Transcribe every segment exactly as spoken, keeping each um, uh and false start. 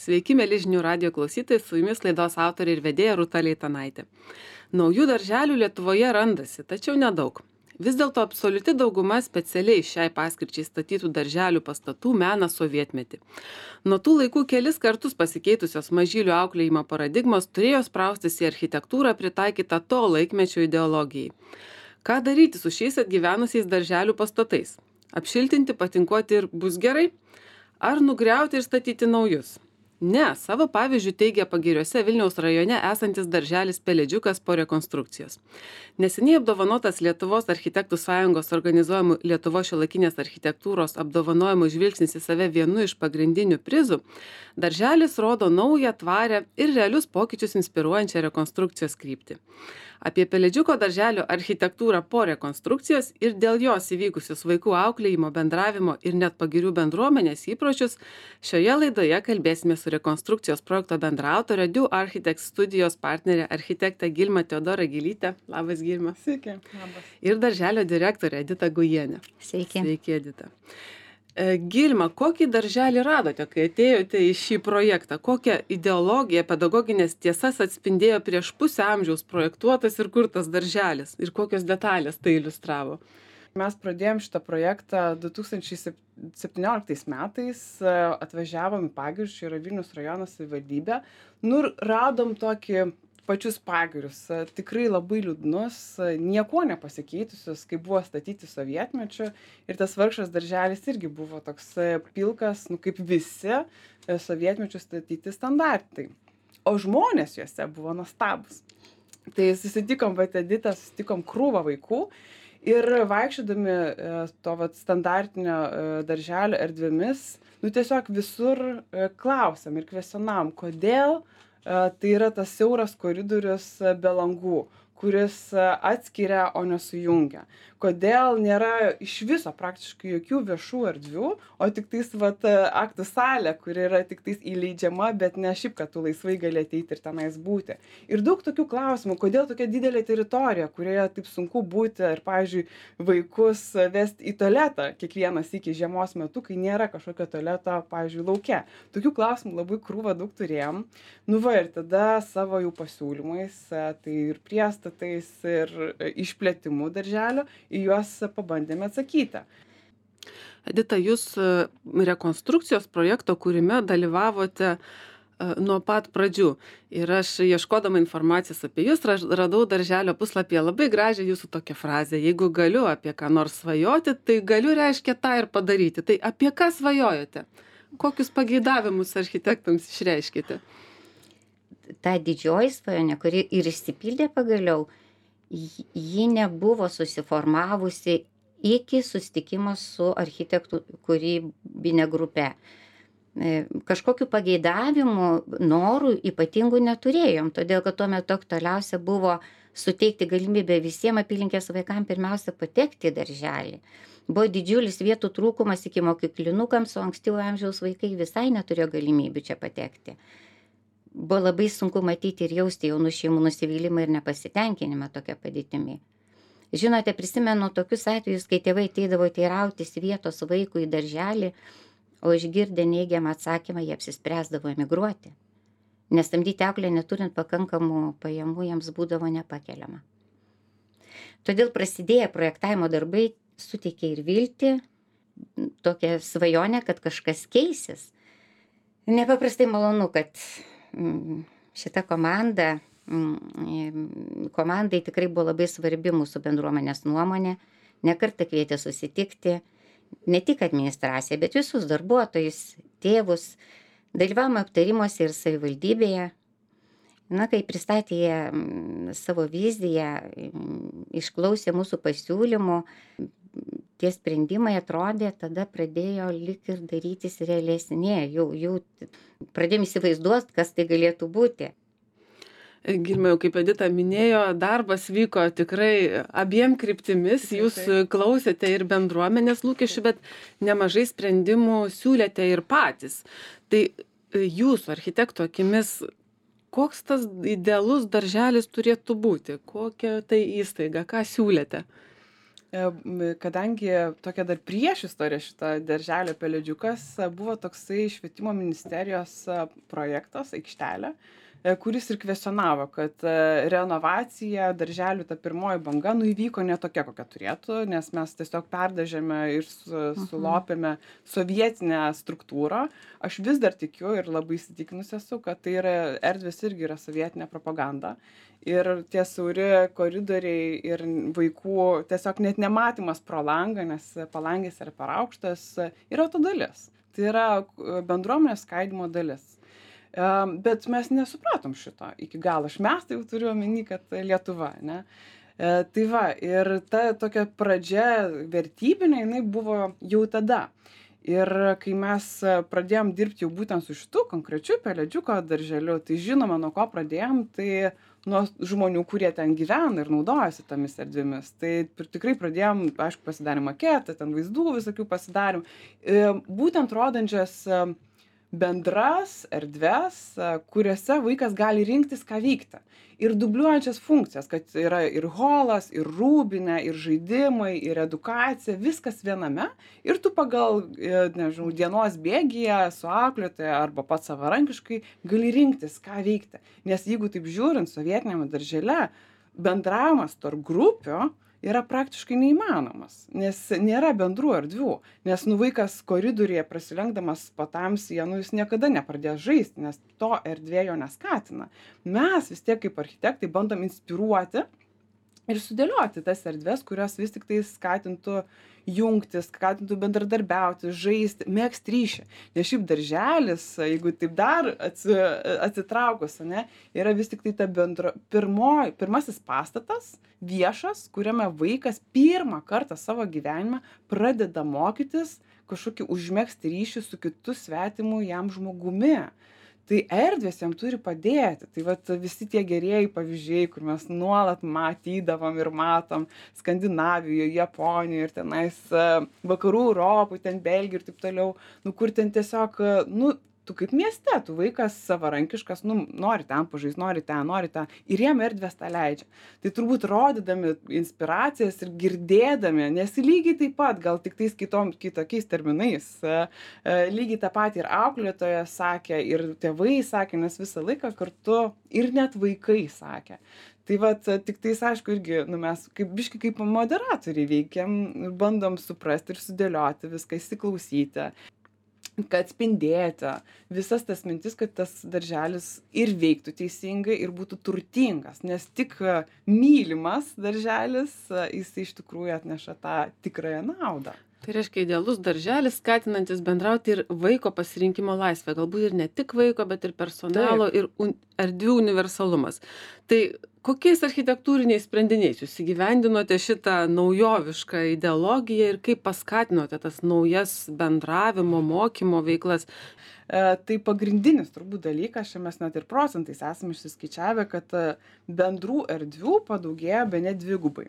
Sveiki, mėly žinių radijo klausytojai, su jumis laidos autorė ir vedėja Rūta Leitanaitė. Naujų darželių Lietuvoje randasi, tačiau nedaug. Vis dėlto absoliuti dauguma specialiai šiai paskirčiai statytų darželių pastatų mena sovietmetį. Nuo tų laikų kelis kartus pasikeitusios mažylių auklėjimo paradigmos turėjo spraustis į architektūrą pritaikytą to laikmečio ideologijai. Ką daryti su šiais atgyvenusiais darželių pastatais? Apšiltinti, patinkuoti ir bus gerai? Ar nugriauti ir statyti naujus? Ne, savo pavyzdžių teigia Pagiriuose Vilniaus rajone esantis darželis Pelėdžiukas po rekonstrukcijos. Neseniai apdovanotas Lietuvos architektų sąjungos organizuojamų Lietuvos šiuolaikinės architektūros apdovanojimų žvilgsnis į save vienu iš pagrindinių prizų, darželis rodo naują, tvarę ir realius pokyčius inspiruojančią rekonstrukcijos kryptį. Apie Pelėdžiuko darželio architektūrą po rekonstrukcijos ir dėl jos įvykusius vaikų auklėjimo, bendravimo ir net Pagirių bendruomenės įpročius šioje laidoje kalbėsime su rekonstrukcijos projekto bendraautorė Do Architects studijos partnerė architektė Gilma Teodora Gilytė. Labas, Gilma. Sveiki. Labas. Ir darželio direktorė Edita Gujienė. Sveiki. Sveiki, Edita. Gilma, kokį darželį radote, kai atėjote į šį projektą? Kokią ideologiją, pedagoginės tiesas atspindėjo prieš pusę amžiaus projektuotas ir kurtas darželis? Ir kokios detalės tai iliustravo? Mes pradėjom šitą projektą du tūkstančiai septynioliktais metais, atvažiavom į Pagirius, čia yra Vilniaus rajono savivaldybė, nu ir radom tokį pačius Pagirius, tikrai labai liūdnus, niekuo nepasikeitusius, kaip buvo statyti sovietmečiu, ir tas vargšas darželis irgi buvo toks pilkas, nu kaip visi sovietmečiu statyti standartai. O žmonės juose buvo nuostabus. Tai susitikom, vat Edita, susitikom krūvą vaikų ir vaikščiodami to vat standartinio darželio erdvėmis, nu tiesiog visur klausėm ir kvestionavom, kodėl tai yra tas siauras koridorius be langų, kuris atskiria, o nesujungia. Kodėl nėra iš viso praktiškai jokių viešų erdvių, o tik tais vat, aktų salė, kuri yra tik tais įleidžiama, bet ne šiaip, kad tu laisvai gali ateiti ir tenais būti. Ir daug tokių klausimų, kodėl tokia didelė teritorija, kurioje taip sunku būti ir, pavyzdžiui, vaikus vesti į tualetą kiekvienas iki žiemos metu, kai nėra kažkokio tualeto, pavyzdžiui, lauke. Tokių klausimų labai krūvą daug turėjom. Nu va, ir tada savo jau pasiūlymais, tai ir priestatais, ir išplėtimų darželio, į juos pabandėme atsakyti. Edita, jūs rekonstrukcijos projekto kūrime dalyvavote nuo pat pradžių. Ir aš ieškodama informacijos apie jūs radau darželio puslapyje labai gražią jūsų tokią frazę. Jeigu galiu apie ką nors svajoti, tai galiu reiškia tą ir padaryti. Tai apie ką svajojate? Kokius pageidavimus architektams išreiškite? Ta didžioji svajonė, kuri ir išsipildė pagaliau, ji nebuvo susiformavusi iki susitikimo su architektų kūrybinė grupe. Kažkokių pageidavimų, norų ypatingų neturėjom, todėl kad tuo metu aktualiausia buvo suteikti galimybę visiems apylinkės vaikams pirmiausia patekti į darželį. Buvo didžiulis vietų trūkumas iki mokyklinukams, o ankstyvo amžiaus vaikai visai neturėjo galimybių čia patekti. Buvo labai sunku matyti ir jausti jaunų šeimų nusivylimą ir nepasitenkinimą tokia padėtimi. Žinote, prisimenu tokius atvejus, kai tėvai ateidavo teirautis vietos vaikų į darželį, o išgirdę neigiamą atsakymą jie apsispręsdavo emigruoti. Nes samdyti auklę neturint pakankamų pajamų jiems būdavo nepakeliama. Todėl prasidėję projektavimo darbai suteikė ir viltį, tokią svajonę, kad kažkas keisis. Nepaprastai malonu, kad šita komanda, komandai tikrai buvo labai svarbi mūsų bendruomenės nuomonė, ne kartą kvietė susitikti, ne tik administraciją, bet visus darbuotojus, tėvus, dalyvavome aptarimuose ir savivaldybėje. Na, kai pristatė jie savo viziją, išklausė mūsų pasiūlymų, tie sprendimai atrodė, tada pradėjo lyg ir darytis realesnė, jau, jau pradėjom įsivaizduoti, kas tai galėtų būti. Gilma, jau kaip Edita minėjo, darbas vyko tikrai abiem kryptimis, jūs klausėte ir bendruomenės lūkesčių, bet nemažai sprendimų siūlėte ir patys. Tai jūsų architekto akimis, koks tas idealus darželis turėtų būti? Kokia tai įstaiga? Ką siūlėte? E, m, kadangi tokia dar priešistorė šita darželio pelėdžiukas e, buvo toksai švietimo ministerijos e, projektas aikštelė, e, kuris ir kvestionavo, kad e, renovacija darželių ta pirmoji banga nu įvyko ne tokia, kokia turėtų, nes mes tiesiog perdažėme ir su, sulopėme sovietinę struktūrą. Aš vis dar tikiu ir labai įsitikinus esu, kad tai yra erdvės irgi yra sovietinė propaganda. Ir tie siauri koridoriai ir vaikų tiesiog net nematymas pro langą, nes palangės yra per aukštas, yra to dalis. Tai yra bendruomenės skaidymo dalis. E, Bet mes nesupratom šito iki galo. Aš mes tai jau turiu omeny, kad Lietuva, ne? E, Tai va, ir ta tokia pradžia vertybinė, jinai buvo jau tada. Ir kai mes pradėjom dirbti jau būtent su šitu konkrečiu pelėdžiuko darželiu, tai žinoma, nuo ko pradėjom, tai nuo žmonių, kurie ten gyvena ir naudojasi tomis erdvėmis. Tai pr- tikrai pradėjom, aišku, pasidarėm maketą, ten vaizdų visokių pasidarėm, e, būtent rodančias e, bendras erdves, e, kuriuose vaikas gali rinktis, ką veikti. Ir dubliuojančias funkcijas, kad yra ir holas, ir rūbinė, ir žaidimai, ir edukacija, viskas viename. Ir tu pagal, e, nežinau, dienos bėgyje su auklėtoja arba pats savarankiškai gali rinktis, ką veikti. Nes jeigu taip žiūrint sovietiniame daržele, bendravimas tarp grupių yra praktiškai neįmanomas, nes nėra bendrų erdvių. Nes nu vaikas koridoriuje prasilenkdamas patamsyje, nu jis niekada nepradės žaisti, nes to erdvė jo neskatina. Mes vis tiek kaip architektai bandom inspiruoti ir sudėlioti tas erdves, kurios vis tik tai skatintų jungtis, skatintų bendradarbiauti, žaisti, megzti ryšį. Nes šiaip darželis, jeigu taip dar atsi, atsitraukus, ne, yra vis tik tai ta bendro, pirmoj, pirmasis pastatas, viešas, kuriame vaikas pirmą kartą savo gyvenime pradeda mokytis kažkokį užmegzti ryšį su kitu svetimu jam žmogumi. Tai erdvės jam turi padėti. Tai vat visi tie gerieji pavyzdžiai, kur mes nuolat matydavom ir matom Skandinavijoje, Japonijoje ir tenais e, vakarų Europoje, ten Belgijoje ir taip toliau, nu kur ten tiesiog, e, nu, tu kaip mieste, tu vaikas savarankiškas, nu, nori ten pažaisti, nori ten, nori ten, ir jiem erdvės tą leidžia. Tai turbūt rodydami inspiracijas ir girdėdami, nes lygiai taip pat, gal tik tais kitom, kitokiais terminais, e, e, lygiai tą patį ir auklėtoja sakė, ir tėvai sakė, nes visą laiką kartu ir net vaikai sakė. Tai vat tik tais, aišku, irgi, nu, mes kaip biški kaip moderatoriai veikiam, bandom suprasti ir sudėlioti viską, įsiklausyti, kad spindėti visas tas mintis, kad tas darželis ir veiktų teisingai ir būtų turtingas, nes tik e, mylimas darželis, e, jis iš tikrųjų atneša tą tikrąją naudą. Tai reiškia idealus darželis, skatinantis bendrauti ir vaiko pasirinkimo laisvę. Galbūt ir ne tik vaiko, bet ir personalo ir un, erdvių universalumas. Tai kokiais architektūriniais sprendiniais jūs įgyvendinote šitą naujovišką ideologiją ir kaip paskatinote tas naujas bendravimo, mokymo veiklas? E, tai pagrindinis turbūt dalykas, čia mes net ir procentais esame išsiskaičiavę, kad e, bendrų erdvių padaugėjo bene dvigubai.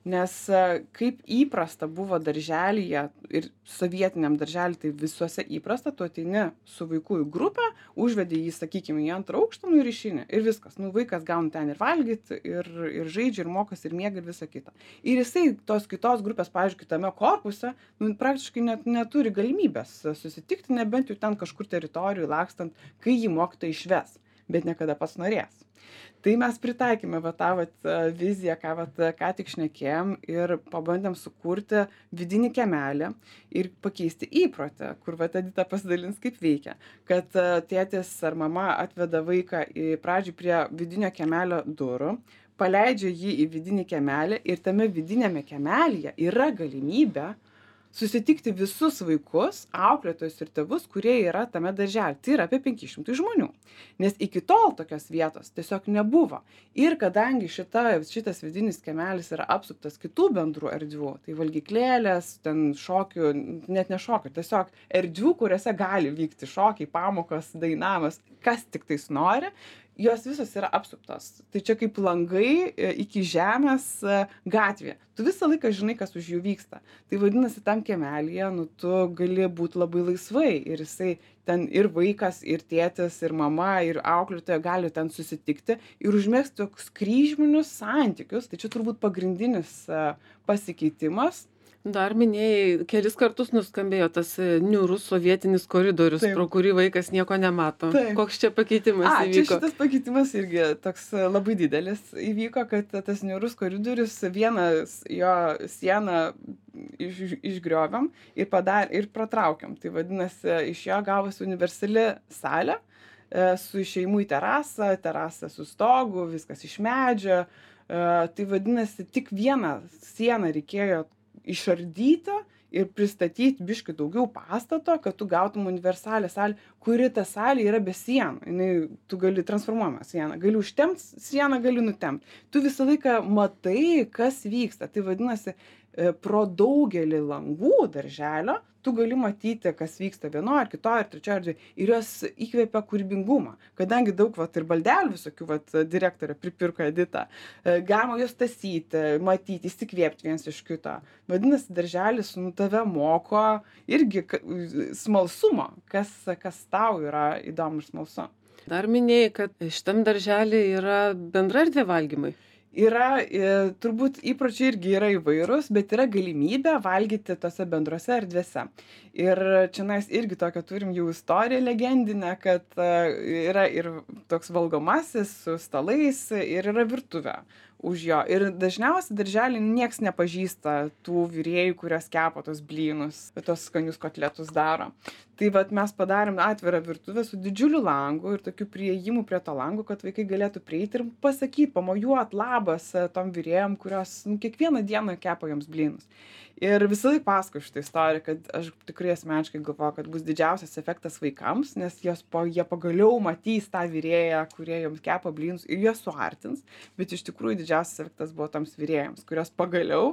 Nes e, kaip įprasta buvo darželyje ir sovietiniam darželį, tai visuose įprasta, tu ateini su vaiku į grupę, užvedi jį, sakykime, į antrą aukštą, nu ir išeini. Ir viskas. Nu, vaikas gauna ten ir valgyti, ir, ir žaidžia, ir mokosi, ir miega, ir visa kita. Ir jisai tos kitos grupės, pavyzdžiui, kitame korpuse, nu, praktiškai net neturi galimybės susitikti, nebent jau ten kažkur teritorijų lakstant, kai jį mokytoja išves, bet niekada pats norės. Tai mes pritaikėme va tą vat, viziją, ką, vat, ką tik šnekėjom, ir pabandėm sukurti vidinį kiemelį ir pakeisti įprotį, kur vat Edita pasidalins, kaip veikia. Kad tėtis ar mama atveda vaiką į pradžią prie vidinio kiemelio durų, paleidžia jį į vidinį kiemelį ir tame vidinėme kiemelyje yra galimybė susitikti visus vaikus, auklėtojus ir tėvus, kurie yra tame daržely. Tai yra apie penki šimtai žmonių. Nes iki tol tokios vietos tiesiog nebuvo. Ir kadangi šita, šitas vidinis kiemelis yra apsuptas kitų bendrų erdvių, tai valgyklėlės, ten šokių, net ne šokių, tiesiog erdvių, kuriuose gali vykti šokiai, pamokos, dainavimas, kas tik tais nori, jos visos yra apsuptos. Tai čia kaip langai e, iki žemės e, gatvė. Tu visą laiką žinai, kas už jų vyksta. Tai vadinasi, tam kiemelyje, nu, tu gali būti labai laisvai ir jisai ten ir vaikas, ir tėtis, ir mama, ir auklėtoja gali ten susitikti ir užmėgsti tokius kryžminius santykius. Tai čia turbūt pagrindinis e, pasikeitimas. Dar minėjai, kelis kartus nuskambėjo tas e, niūrus sovietinis koridorius, Taip. pro kurį vaikas nieko nemato. Taip. Koks čia pakeitimas A, čia įvyko? šitas pakeitimas irgi toks e, labai didelis įvyko, kad tas niūrus koridorius, vienas jo sieną iš, išgrioviam ir, padar, ir pratraukiam. Tai vadinasi, iš jo gavosi universali salė e, su išėjimu į terasą, terasą su stogu, viskas iš medžio. E, tai vadinasi, tik vieną sieną reikėjo išardyti ir pristatyti biškį daugiau pastato, kad tu gautum universalią salę, kuri ta salė yra be sienų. Jinai, tu gali transformuojamą sieną, gali užtempt sieną, gali nutempt. Tu visą laiką matai, kas vyksta. Tai vadinasi, pro daugelį langų darželio tu gali matyti, kas vyksta vienoje ar kitoje ar trečioje erdvėje. Ir jos įkvėpia kūrybingumą. Kadangi daug vat, ir baldelių visokių vat, direktorė pripirko Edita, galima jos tasyti, matyti, įsikvėpti viens iš kito. Vadinasi, darželis nu, tave moko irgi smalsumo, kas, kas tau yra įdomu ir smalsu. Dar minėjai, kad šitam darželį yra bendra erdvė valgymai. Yra, e, turbūt įpročiai irgi yra įvairūs, bet yra galimybė valgyti tose bendrose erdvėse. Ir čia mes irgi tokią turim jau istoriją legendinę, kad e, yra ir toks valgomasis su stalais ir yra virtuvė už jo. Ir dažniausiai darželį nieks nepažįsta tų virėjų, kurios kepa tos blynus, tos skanius kotletus daro. Tai vat mes padarėm atvirą virtuvę su didžiuliu langu ir tokiu priėjimu prie to lango, kad vaikai galėtų prieiti ir pasakyti, pamojuot labas tom virėjom, kurios nu, kiekvieną dieną kepa joms blynus. Ir visą laiką pasakoju šitą istoriją, kad aš tikrai asmeniškai galvoju, kad bus didžiausias efektas vaikams, nes jos po, jie pagaliau matys tą virėją, kurie joms kepa blynus ir juos suartins, bet iš tikrųjų didžiausias efektas buvo toms virėjams, kurios pagaliau,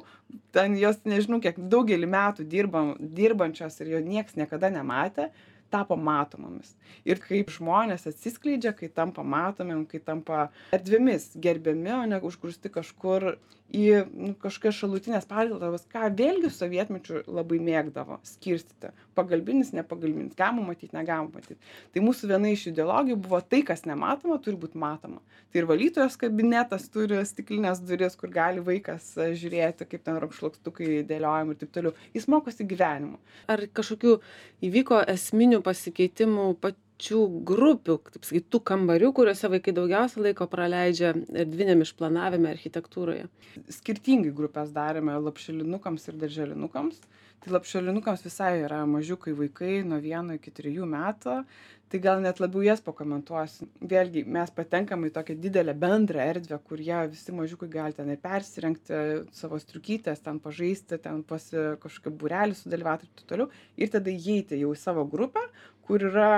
ten jos nežinau, kiek daugelį metų dirbam, dirbančios ir jo nieks niekada nematė, tapo matomomis. Ir kaip žmonės atsiskleidžia, kai tampa matomim, kai tampa erdvėmis gerbiami, o ne užgrūsti kažkur į nu, kažkokias šalutinės patalpas, ką vėlgi sovietmečiu labai mėgdavo skirstyti. Pagalbinis, nepagalbinis, galima matyti, negalima matyti. Tai mūsų viena iš ideologijų buvo tai, kas nematoma, turi būti matoma. Tai ir valytojos kabinetas turi stiklinės duris, kur gali vaikas žiūrėti, kaip ten rankšluostukai dėliojami ir taip toliau. Jis mokosi gyvenimu. Ar kažkokių įvyko esminių pasikeitimų pačių grupių, taip sakyt, tų kambarių, kuriuose vaikai daugiausia laiko praleidžia erdviniam išplanavime, architektūroje? Skirtingai grupės darėme lapšelinukams ir darželinukams. Tai lapšelinukams visai yra mažiukai vaikai nuo vieno iki trijų metų. Tai gal net labiau jas pakomentuosiu. Vėlgi, mes patenkam į tokią didelę bendrą erdvę, kur jie visi mažiukai gali ten ir persirengti savo striukytės, ten pažaisti, ten pasi kažkokį būrelį sudalyvauti ir taip toliau. Ir tada įeiti jau į savo grupę, kur yra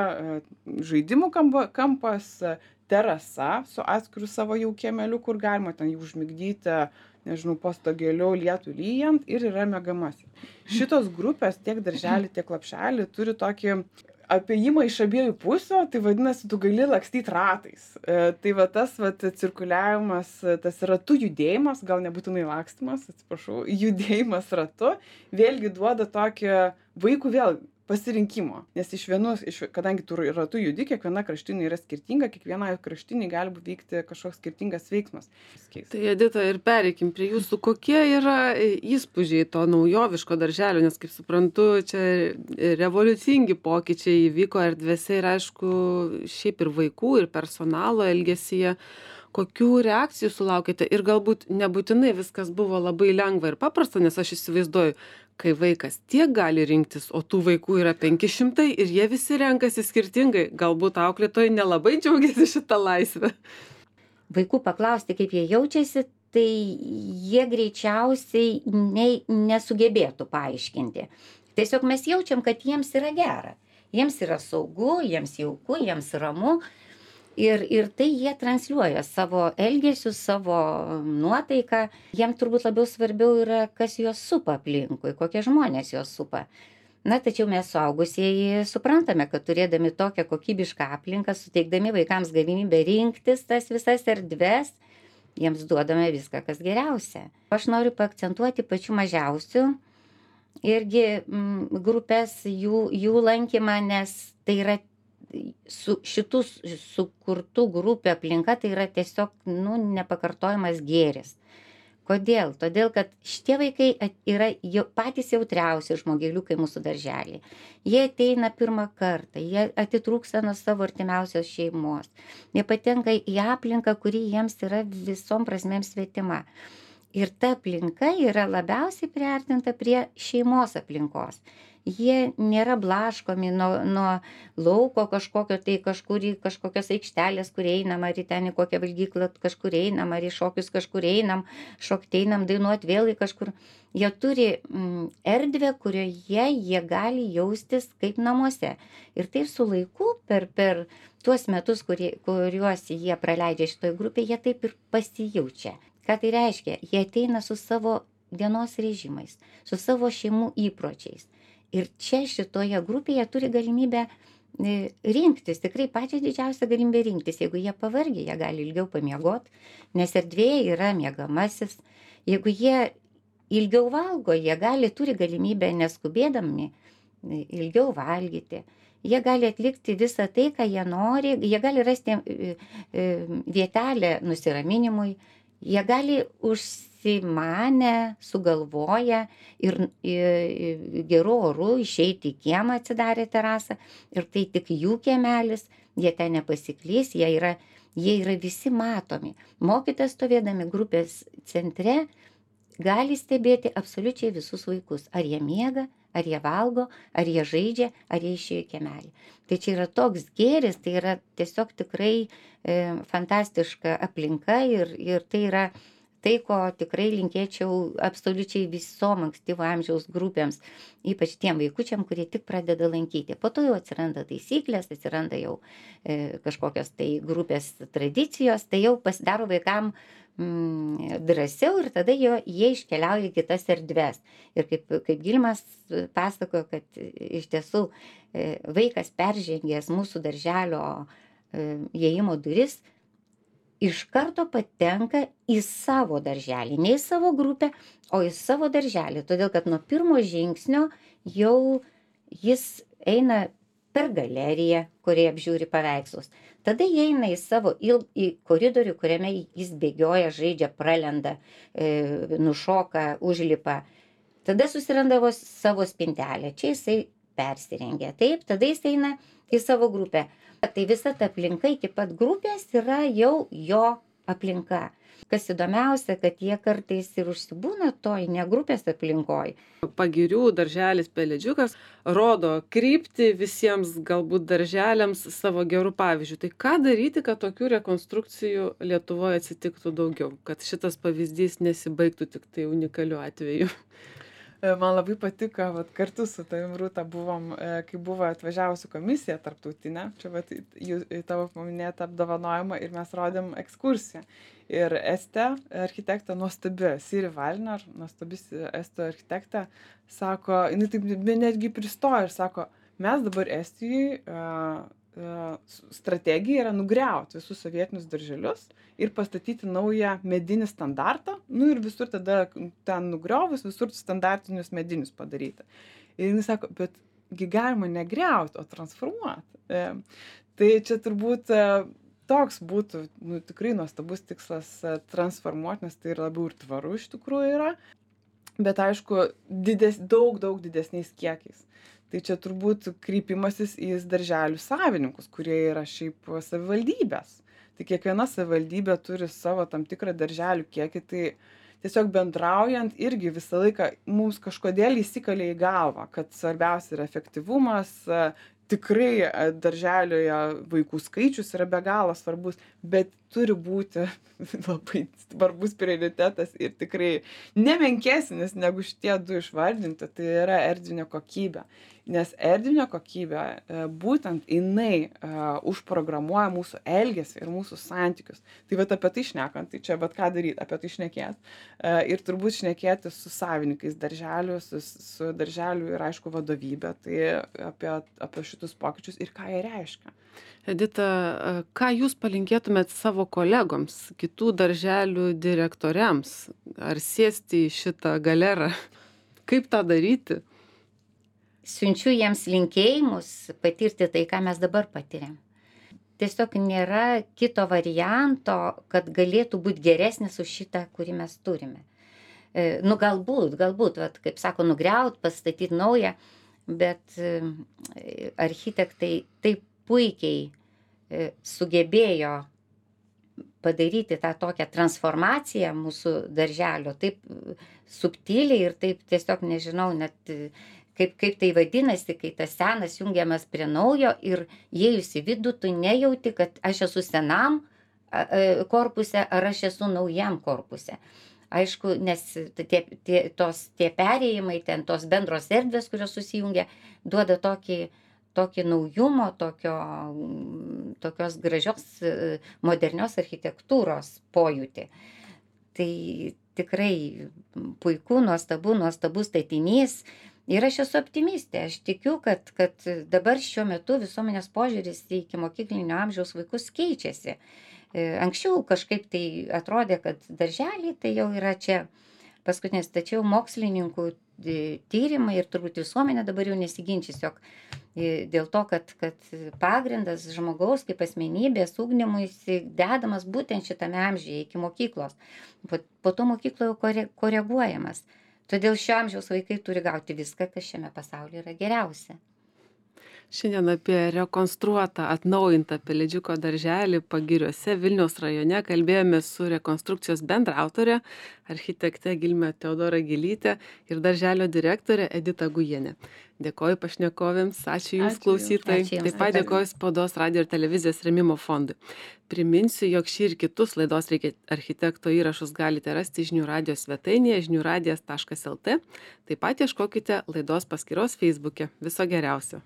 žaidimų kampas, terasa su atskiru savo jau kiemeliu, kur galima ten jų užmigdyti, nežinau, po stogėliu lietų lyjant ir yra miegamasis. Šitos grupės, tiek darželį, tiek lapšelį, turi tokį apėjimą iš abiejų pusių, tai vadinasi, tu gali lakstyti ratais. E, tai va tas va, cirkuliavimas, tas ratų judėjimas, gal nebūtinai lakstymas, atsiprašau, judėjimas ratu, vėlgi duoda tokį vaikų vėl pasirinkimo. Nes iš vienos, iš, kadangi tu ratu judi, kiekviena kraštinė yra skirtinga, kiekviena kraštinė gali vykti kažkoks skirtingas veiksmas. Tai Edita, ir pereikim prie jūsų, kokie yra įspūdžiai to naujoviško darželio, nes kaip suprantu, čia revoliucingi pokyčiai įvyko erdvėse ir aišku, šiaip ir vaikų, ir personalo elgesyje. Kokių reakcijų sulaukėte ir galbūt nebūtinai viskas buvo labai lengva ir paprasta, nes aš įsivaizduoju, kai vaikas tiek gali rinktis, o tų vaikų yra penki šimtai ir jie visi renkasi skirtingai, galbūt auklėtojai nelabai džiaugiasi šitą laisvę. Vaikų paklausti, kaip jie jaučiasi, tai jie greičiausiai ne, nesugebėtų paaiškinti. Tiesiog mes jaučiam, kad jiems yra gera. Jiems yra saugu, jiems jauku, jiems ramu. Ir, ir tai jie transliuoja savo elgesius, savo nuotaiką. Jiems turbūt labiau svarbiau yra, kas juos supa aplinkui, kokie žmonės juos supa. Na, tačiau mes suaugusieji suprantame, kad turėdami tokią kokybišką aplinką, suteikdami vaikams galimybę rinktis tas visas erdves, jiems duodame viską, kas geriausia. Aš noriu paakcentuoti pačių mažiausių irgi mm, grupės, jų, jų lankymą, nes tai yra su šitų sukurtų grupių aplinka, tai yra tiesiog nu, nepakartojamas gėris. Kodėl? Todėl, kad šitie vaikai yra jau patys jautriausi žmogėliukai mūsų darželį. Jie ateina pirmą kartą, jie atitrūksta nuo savo artimiausios šeimos. Jie patenka į aplinką, kuri jiems yra visom prasmėm svetima. Ir ta aplinka yra labiausiai priartinta prie šeimos aplinkos. Jie nėra blaškomi nuo, nuo lauko kažkokio, tai kažkur į kažkokios aikštelės, kur einam, ar į ten į kokią valgyklą kažkur einam, ar į šokius kažkur einam, šokti einam, dainuoti vėl į kažkur. Jie turi mm, erdvę, kurioje jie gali jaustis kaip namuose. Ir tai su laiku per, per tuos metus, kurie, kuriuos jie praleidžia šitoje grupėje, jie taip ir pasijaučia. Ką tai reiškia? Jie ateina su savo dienos režimais, su savo šeimų įpročiais. Ir čia šitoje grupėje turi galimybę rinktis, tikrai pačią didžiausią galimybę rinktis. Jeigu jie pavargę, jie gali ilgiau pamiegoti, nes erdvėje yra miegamasis. Jeigu jie ilgiau valgo, jie gali, turi galimybę neskubėdami ilgiau valgyti. Jie gali atlikti visą tai, ką jie nori, jie gali rasti vietelę nusiraminimui, jie gali užsimanę, sugalvoję ir, ir geru oru išeiti į kiemą, atsidarę terasą, ir tai tik jų kiemelis, jie ten nepasiklys, jie yra, jie yra visi matomi. Mokytojas stovėdami grupės centre gali stebėti absoliučiai visus vaikus, ar jie miega, ar jie valgo, ar jie žaidžia, ar jie išėjo į kiemelį. Tai čia yra toks gėris, tai yra tiesiog tikrai e, fantastiška aplinka ir, ir tai yra tai, ko tikrai linkėčiau absoliučiai visom ankstyvo amžiaus grupėms, ypač tiem vaikučiam, kurie tik pradeda lankyti. Po to jau atsiranda taisyklės, atsiranda jau e, kažkokios tai grupės tradicijos, tai jau pasidaro vaikam mm, drąsiau ir tada jo, jie iškeliauja į kitas erdves. Ir kaip, kaip Gilmas pasakojo, kad iš tiesų e, vaikas peržengęs mūsų darželio e, įėjimo duris, iš karto patenka į savo darželį, ne į savo grupę, o į savo darželį, todėl kad nuo pirmo žingsnio jau jis eina per galeriją, kurioje apžiūri paveikslus. Tada jie eina į savo il, į koridorių, kuriame jis bėgioja, žaidžia, pralenda, e, nušoka, užlipa. Tada susirandavo savo spintelę, čia jisai persirengia. Taip, tada jis eina į savo grupę. Tai visa ta aplinka iki pat grupės yra jau jo aplinka. Kas įdomiausia, kad jie kartais ir užsibūna toj ne grupės aplinkoj. Pagirių darželis Pelėdžiukas rodo kryptį visiems galbūt darželiams savo gerų pavyzdžių. Tai ką daryti, kad tokių rekonstrukcijų Lietuvoje atsitiktų daugiau, kad šitas pavyzdys nesibaigtų tik tai unikaliu atveju? Man labai patiko, vat, kartu su tavim, Rūta, buvom, kai buvo atvažiavusi komisija tarptautinė, čia vat, jų, tavo paminėtą apdovanojimą, ir mes rodėm ekskursiją. Ir Estė, architektė, nuostabi, Siri Valner, nuostabis Estų architektė, sako, jinai taip netgi pristojo ir sako, mes dabar Estijai uh, uh, strategija yra nugriauti visus sovietinius darželius ir pastatyti naują medinį standartą, nu ir visur tada ten nugriovus, visur standartinius medinius padaryti. Ir jis sako, bet gi galima negriauti, o transformuoti. E, tai čia turbūt e, toks būtų, nu, tikrai nuostabus tikslas e, transformuoti, nes tai ir labiau ir tvaru iš tikrųjų yra, bet aišku, dides, daug, daug didesniais kiekiais. Tai čia turbūt kreipimasis į darželių savininkus, kurie yra šiaip savivaldybės. Tai kiekviena savivaldybė turi savo tam tikrą darželių kiekį, tai tiesiog bendraujant irgi visą laiką mums kažkodėl įsikalė į galvą, kad svarbiausia yra efektyvumas, tikrai darželioje vaikų skaičius yra be galo svarbus, bet turi būti labai svarbus prioritetas ir tikrai nemenkesnis negu šitie du išvardinti, tai yra erdvinė kokybė. Nes erdvinė kokybė, e, būtent jinai e, užprogramuoja mūsų elgesį ir mūsų santykius. Tai vat apie tai šnekant, tai čia bet ką daryti, apie tai šnekėt. E, ir turbūt šnekėti su savininkais darželių, su, su darželių ir aišku vadovybė, tai apie, apie šitus pokyčius ir ką jie reiškia. Edita, a, ką jūs palinkėtumėt savo kolegoms, kitų darželių direktoriams? Ar sėsti į šitą galerą? Kaip tą daryti? Siunčiu jiems linkėjimus patirti tai, ką mes dabar patiriam. Tiesiog nėra kito varianto, kad galėtų būti geresnis už šitą, kurį mes turime. E, nu galbūt, galbūt, vat, kaip sako, nugriaut, pastatyti naują, bet e, architektai taip puikiai e, sugebėjo padaryti tą tokią transformaciją mūsų darželio, taip subtiliai ir taip tiesiog nežinau net kaip, kaip tai vadinasi, kai tas senas jungiamas prie naujo ir įėjus į vidų, tu nejauti, kad aš esu senam korpuse ar aš esu naujam korpuse. Aišku, nes tie, tie, tos, tie perėjimai, ten tos bendros erdvės, kurios susijungia, duoda tokį tokį naujumo, tokio, tokios gražios modernios architektūros pojūtį. Tai tikrai puiku, nuostabu, nuostabus statinys. Ir aš esu optimistė. Aš tikiu, kad, kad dabar šiuo metu visuomenės požiūris į ikimokyklinio amžiaus vaikus keičiasi. Anksčiau kažkaip tai atrodė, kad darželiai tai jau yra čia paskutinis, tačiau mokslininkų tyrimai ir turbūt visuomenė dabar jau nesiginčys, jog dėl to, kad, kad pagrindas žmogaus kaip asmenybės ugdymuisi dedamas būtent šitame amžiuje iki mokyklos. Po, po to mokykloje kore, koreguojamas. Todėl šio amžiaus vaikai turi gauti viską, kas šiame pasaulyje yra geriausia. Šiandien apie rekonstruotą, atnaujintą Pelėdžiuko darželį Pagiriuose Vilniaus rajone kalbėjome su rekonstrukcijos bendraautorė, architekte Gilme Teodora Gilytė ir darželio direktorė Edita Gujienė. Dėkoju pašnekovėms, ačiū Jums, Ačiū klausytojai. Ačiū jums. Taip pat dėkoju Spaudos radijo ir televizijos rėmimo fondui. Priminsiu, jog šį ir kitus laidos Reikia architekto įrašus galite rasti žinių radijo svetainėje žinių radijas taškas lt. Taip pat ieškokite laidos paskyros Facebook'e. Viso geriausio.